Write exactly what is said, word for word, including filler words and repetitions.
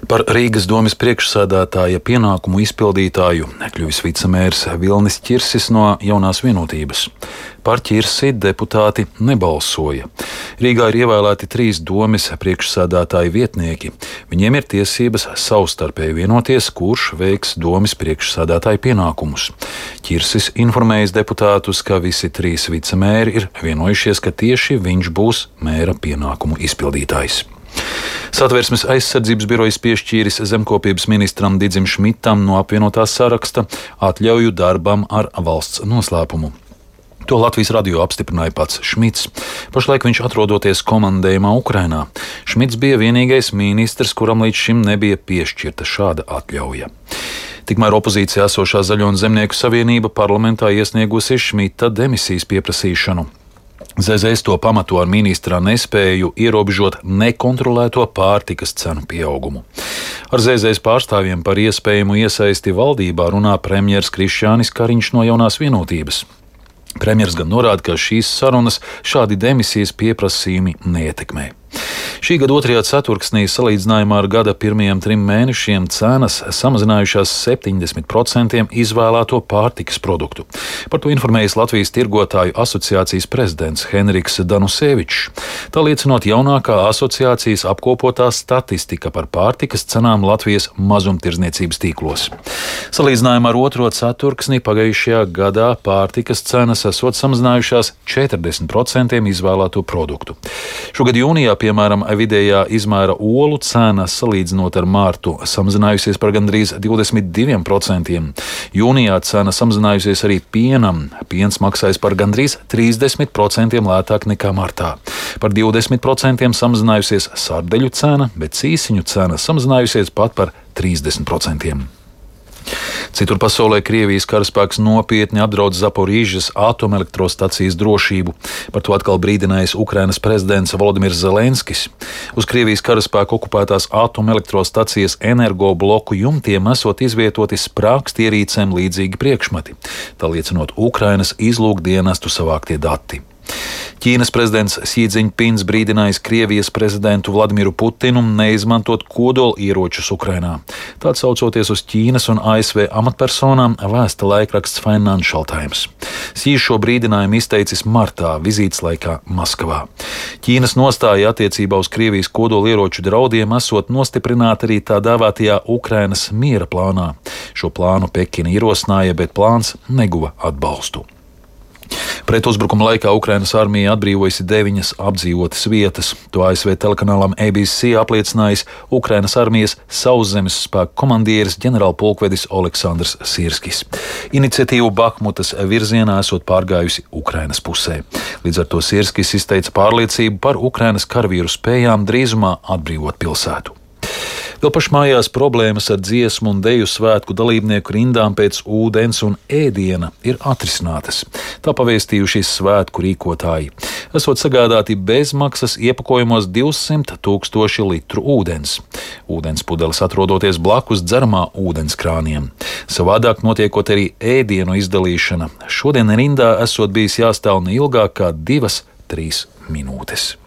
Par Rīgas domes priekšsēdētāja pienākumu izpildītāju kļuvis vicemērs Vilnis Ķirsis no Jaunās Vienotības. Par Ķirsi deputāti nebalsoja. Rīgā ir ievēlēti trīs domes priekšsēdētāju vietnieki. Viņiem ir tiesības savstarpēji vienoties, kurš veiks domes priekšsēdētāju pienākumus. Ķirsis informējis deputātus, ka visi trīs vicemēri ir vienojušies, ka tieši viņš būs mēra pienākumu izpildītājs. Satversmes aizsardzības birojas piešķīris zemkopības ministram Didzim Šmitam no apvienotā saraksta atļauju darbam ar valsts noslēpumu. To Latvijas radio apstiprināja pats Šmits. Pašlaik viņš atrodoties komandējumā Ukrainā. Šmits bija vienīgais ministrs, kuram līdz šim nebija piešķirta šāda atļauja. Tikmēr opozīcijā esošā Zaļo un Zemnieku savienība parlamentā iesniegusi Šmita demisijas pieprasīšanu. zē zē es to pamato ar ministra nespēju ierobežot nekontrolēto pārtikas cenu pieaugumu. Ar zē zē es pārstāvjiem par iespējamu iesaisti valdībā runā premjers Krišjānis Kariņš no Jaunās Vienotības. Premjers gan norāda, ka šīs sarunas šādi demisijas pieprasījumi neietekmē. Šī gada otrajā ceturksnī salīdzinājumā ar gada pirmajiem trim mēnešiem cenas samazinājušās septiņdesmit procentiem izvēlēto pārtikas produktu. Par to informējis Latvijas tirgotāju asociācijas prezidents Henriks Danusevičs. Tā liecinot jaunākā asociācijas apkopotā statistika par pārtikas cenām Latvijas mazumtirdzniecības tīklos. Salīdzinājumā ar otro ceturksni pagājušajā gadā pārtikas cenas esot samazinājušās četrdesmit procentiem izvēlēto produktu. Šogad jūnijā, piemēram, vidējā izmēra olu cena salīdzinot ar mārtu samazinājusies par gandrīz divdesmit diviem procentiem. Jūnijā cena samazinājusies arī pienam. Piens maksājas par gandrīz trīsdesmit procentiem lētāk nekā martā. Par divdesmit procentiem samazinājusies sardeļu cena, bet cīsiņu cena samazinājusies pat par trīsdesmit procentiem. Citur pasaulē Krievijas karaspēks nopietni apdraud Zaporīžas atomelektrostacijas drošību. Par to atkal brīdinājis Ukrainas prezidents Volodimirs Zelenskis. Uz Krievijas karaspēku okupētās atomelektrostacijas energobloku jumtiem esot izvietoti sprākstierīcēm līdzīgi priekšmeti, tā liecinot Ukrainas izlūkdienestu savāktie dati. Ķīnas prezidents Xi Džiņpings brīdinājis Krievijas prezidentu Vladimiru Putinu neizmantot kodolieročus Ukrainā. Tā atsaucoties uz Ķīnas un A S V amatpersonām, vēsta laikraksts Financial Times. Xi šo brīdinājumu izteicis martā vizītes laikā Maskavā. Ķīnas nostāja attiecībā uz Krievijas kodolieroču draudiem esot nostiprināta arī tā dēvētajā Ukrainas miera plānā. Šo plānu Pekina ierosināja, bet plāns neguva atbalstu. Pretuzbrukuma laikā Ukrainas armija atbrīvojusi deviņas apdzīvotas vietas. To A S V telekanālam A B C apliecinājis Ukrainas armijas sauszemes spēku komandieris ģenerālpulkvedis Oleksandrs Sirskis. Iniciatīvu Bahmutas virzienā esot pārgājusi Ukrainas pusē. Līdz ar to Sirskis izteica pārliecību par Ukrainas karavīru spējām drīzumā atbrīvot pilsētu. Vēl pašmājās problēmas ar dziesmu un deju svētku dalībnieku rindām pēc ūdens un ēdiena ir atrisinātas. Tā pavēstījuši svētku rīkotāji. Esot sagādāti bezmaksas iepakojumos divsimt tūkstoši litru ūdens. Ūdens pudeles atrodoties blakus dzeramā ūdens krāniem. Savādāk notiekot arī ēdienu izdalīšana. Šodien rindā esot bijis jāstāv ne ilgāk kā divas, trīs minūtes.